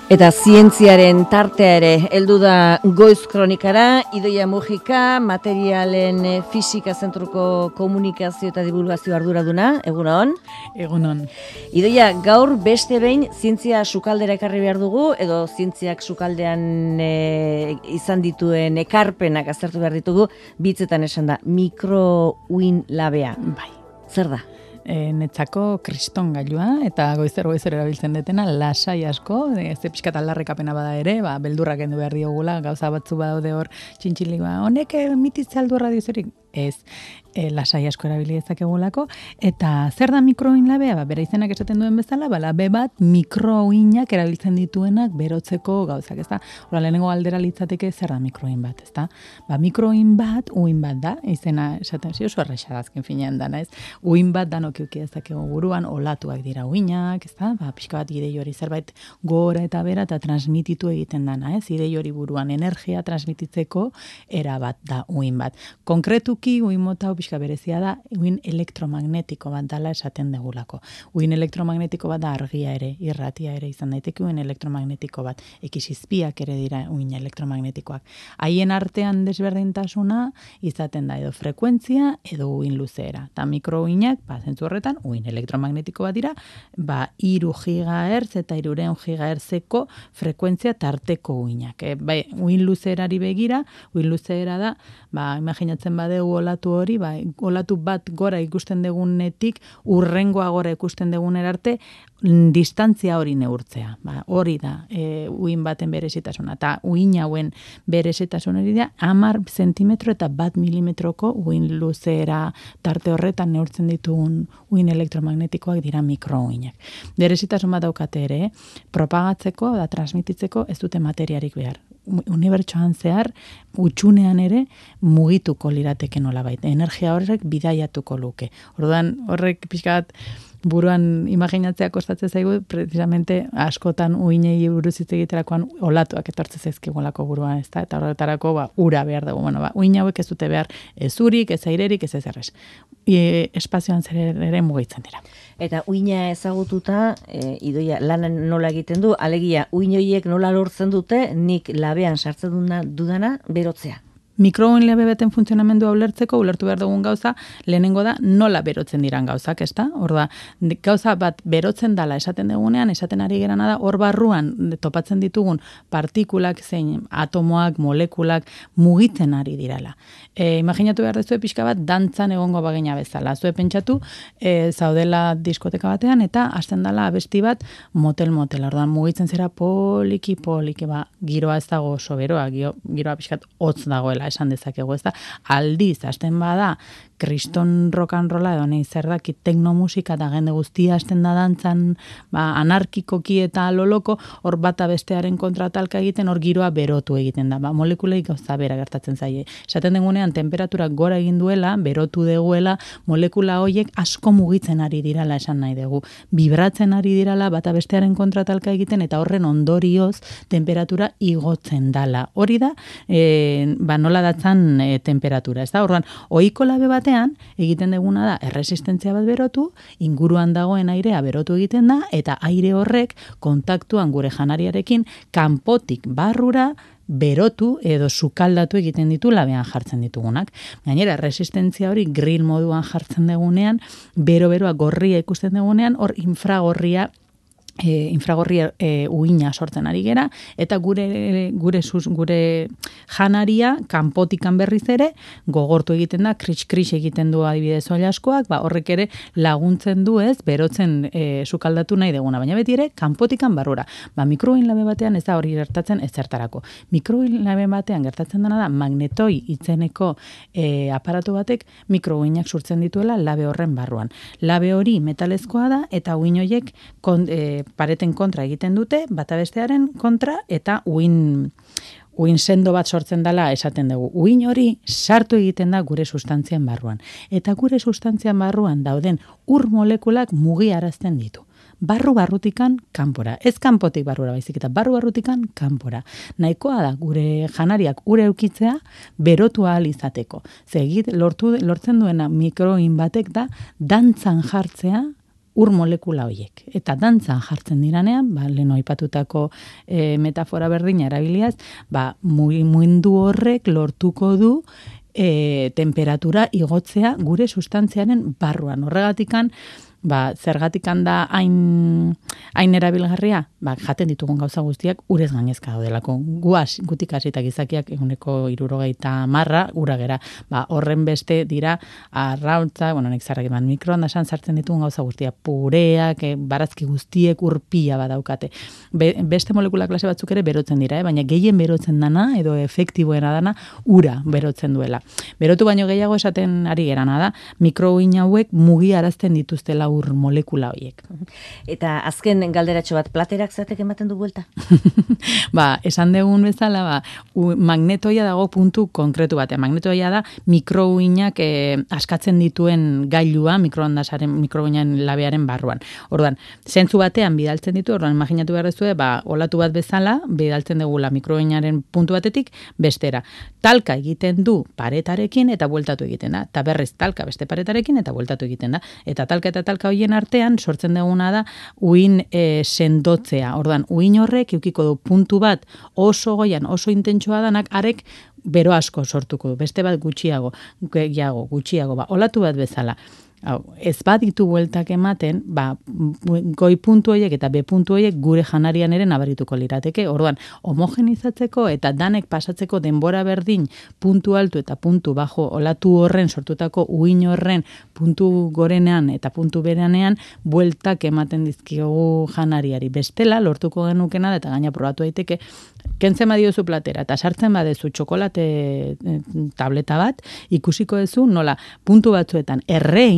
Eta zientziaren tartea ere heldu da Goiz Kronikara. Idoia Mujika, materialen fisika zentruko komunikazio eta divulgazio arduraduna. Egunon? Egunon. Idoia, gaur beste behin zientzia sukaldera ekarri behar dugu, edo zientziak sukaldean izan dituen ekarpenak aztertu behar ditugu, bitzetan esan da, mikrouin labea. Bai. Zer da? Netzako kriston gailua, eta goizer erabiltzen detena, lasai asko, ze pixkat aldarrekapena bada ere, beldurrak kendu behar diogula, gauza batzu badaude hor txintxili, honek emititze aldu radiozerik, ez, lasai asko erabili dezakegulako, eta zer da mikrouin labea? Bera izenak esaten duen bezala, labe bat mikrouinak erabiltzen dituenak berotzeko gauzak, ezta? Hora lehenengo aldera litzateke zer da mikrouin bat, ezta? Mikrouin bat, uin bat da, izena esaten oso erresa da azken finean dana, ez? Uin bat danok eduki dezakegu buruan, olatuak dira uinak, ezta? Pixka bat idei hori zerbait gora eta bera eta transmititu egiten dana, ez? Idei hori buruan energia transmititzeko era bat da uin bat. Konkretuki uin mota pixka berezia da uin elektromagnetiko bat dala esaten degulako. Uin elektromagnetiko bat da argia ere, irratia ere izan daiteke uin elektromagnetiko bat. Ekisizpiak ere dira uin elektromagnetikoak. Haien artean desberdintasuna izaten da edo frekuentzia edo uin luzeera. Ta mikrouinak, zentzu horretan, uin elektromagnetiko bat dira, 3 gigahertz eta 300 gigahertzeko frekuentzia tarteko uinak. Uin luzeerari begira, uin luzeera da, imaginatzen badegu olatu hori, olatu bat gora ikusten degunetik, urrengoa gora ikusten degunera arte, distantzia hori neurtzea. Hori da, uin baten berezitasuna. Eta uin hauen berezitasuna hori da, 10 zentimetro eta 1 milimetroko uin luzeera tarte horretan neurtzen ditugun uin elektromagnetikoak dira mikrouinak. Berezitasun bat daukate ere, propagatzeko da transmititzeko ez dute materiarik behar. Unibertsoan zehar, utxunean ere mugituko lirateke nolabait. Energia horrek bidaiatuko luke. Orduan horrek pixkat buruan imaginatzea kostatzen zaigu, precisamente askotan uinei buruz hitz egiterakoan olatuak etortzen zaizkigulako buruan, ezta? Eta horretarako ura behar dugu. Uin hauek ez dute behar ez urik, ez airerik, ez ezerrez. Espazioan zer ere mugitzen dira. Eta uina ezagututa, Idoia, lan nola egiten du, alegia, uin horiek nola lortzen dute, nik labean sartzen dudana berotzea. Mikrouin labe baten funtzionamendua ulertzeko, ulertu behar dugun gauza, lehenengo da nola berotzen diran gauzak, ezta? Orda, gauza bat berotzen dala esaten dugunean, esaten ari gerana da, hor barruan topatzen ditugun partikulak zein atomoak, molekulak mugitzen ari dirala. Imaginatu behar dezue pixka bat dantzan egongo bagina bezala. Zue pentsatu, zaudela diskoteka batean, eta hasten dala abesti bat motel-motel. Ordan mugitzen zera poliki, giroa ez dago oso beroa, giroa pixkat hotz dagoela esan dezakegu, ez da, aldiz, hasten bada, kriston rock and rolla edo nahi zer daki teknomusika eta jende guztia hasten da dantzan, anarkikoki eta loloko, hor bata bestearen kontra talka egiten, hor giroa berotu egiten da, molekulei gauza bera gertatzen zaie. Esaten degunean, temperaturak gora egin duela, berotu deguela, molekula horiek asko mugitzen ari dirala esan nahi dugu. Vibratzen ari dirala, bata bestearen kontra talka egiten, eta horren ondorioz, temperatura igotzen dala. Hori da, nola datzan temperatura, ez da? Orduan, ohiko labe batean, egiten deguna da, erresistentzia bat berotu, inguruan dagoen airea berotu egiten da, eta aire horrek kontaktuan gure janariarekin kanpotik barrura berotu edo sukaldatu egiten ditu labean jartzen ditugunak. Gainera, resistentzia hori grill moduan jartzen degunean, bero-beroa gorria ikusten degunean, hor infragorria uina sortzen ari gera, eta gure janaria kanpotikan berriz ere gogortu egiten da, kris egiten du adibidez oilaskoak, horrek ere laguntzen du ez, berotzen sukaldatu nahi deguna, baina beti ere kanpotikan barrura. Mikrouin labe batean ez da hori gertatzen ezertarako. Mikrouin labe batean gertatzen dena da magnetoi itzeneko aparatu batek mikrouinak sortzen dituela labe horren barruan. Labe hori metalezkoa da, eta uin horiek pareten kontra egiten dute, bata bestearen kontra, eta uin sendo bat sortzen dela esaten dugu. Uin hori sartu egiten da gure sustantzien barruan. Eta gure sustantzien barruan dauden ur molekulak mugiarazten ditu. Barrutikan kanpora. Ez kanpotik barrura baizik, eta barrutikan kanpora. Nahikoa da gure janariak ure eukitzea berotu ahal izateko. Lortzen duena mikrouin batek da dantzan jartzea ur molekula horiek. Eta dantzan jartzen diranean, lehen aipatutako metafora berdina erabiliaz, mugimendu horrek lortuko du temperatura igotzea gure sustantziaren barruan. Horregatikan, zergatikan da hain erabilgarria, jaten ditugun gauza guztiak urez gainezka daudelako. Gutik hasita gizakiak 70% ura gera. Horren beste dira arrautza, nik zarrak mikroondasan sartzen ditugun gauza guztiak, pureak, barazki guztiek urpia badaukate. Beste molekula klase batzuk ere berotzen dira, baina gehien berotzen dana edo efektiboena dana ura berotzen duela. Berotu baino gehiago esaten ari gerana da, mikrouhin hauek mugiarazten dituztela ur molekula horiek. Eta azken galderatxo bat, platerak zatek ematen du buelta? Esan dugun bezala, magnetoia dago puntu konkretu batean. Magnetoia da mikrouhinak askatzen dituen gailua mikrouhinan labearen barruan. Orduan, zentzu batean bidaltzen ditu, orduan imaginatu behar dezue, olatu bat bezala, bidaltzen dugula mikrouhinaren puntu batetik bestera. Talka egiten du paretarekin eta bueltatu egiten da. Eta berriz talka beste paretarekin eta bueltatu egiten da. Eta talka hoien artean sortzen duguna da uhin sendotzea. Orduan, uhin horrek eukiko du puntu bat oso goian, oso intentsua danak, arek bero asko sortuko du. Beste bat gutxiago, olatu bat bezala. Ez baditu bueltak ematen, goi puntu horiek eta B puntu horiek gure janarian ere nabarituko lirateke. Orduan, homogenizatzeko eta danek pasatzeko denbora berdin puntu altu eta puntu bajo olatu horren sortutako uhin horren puntu gorenean eta puntu beranean bueltak ematen dizkiogu janariari. Bestela, lortuko genukena eta gaina probatu daiteke, kentzen badiozu platera eta sartzen badezu txokolate tableta bat, ikusiko duzu nola puntu batzuetan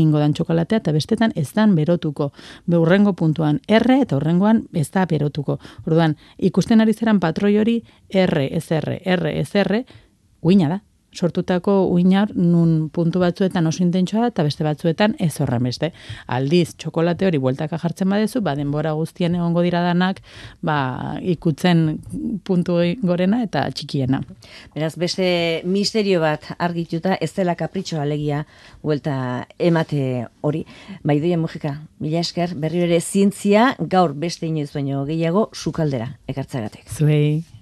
ingo dan txokolatea eta bestetan ez dan berotuko. Urrengo puntuan R eta urrengoan ez da berotuko. Orduan, ikusten ari zeran patroi hori R, SR, uina da. Sortutako uinar nun puntu batzuetan oso intentsua eta beste batzuetan ez horren beste. Aldiz, txokolate hori bueltaka jartzen badezu, denbora guztien egongo dira danak, ikutzen puntu gorena eta txikiena. Beraz, beste misterio bat argituta, ez dela kapritxoa alegia buelta emate hori. Idoia Mujika, mila esker, berri ere zientzia gaur beste inoiz baino gehiago sukaldera ekartzagatek. Zuei.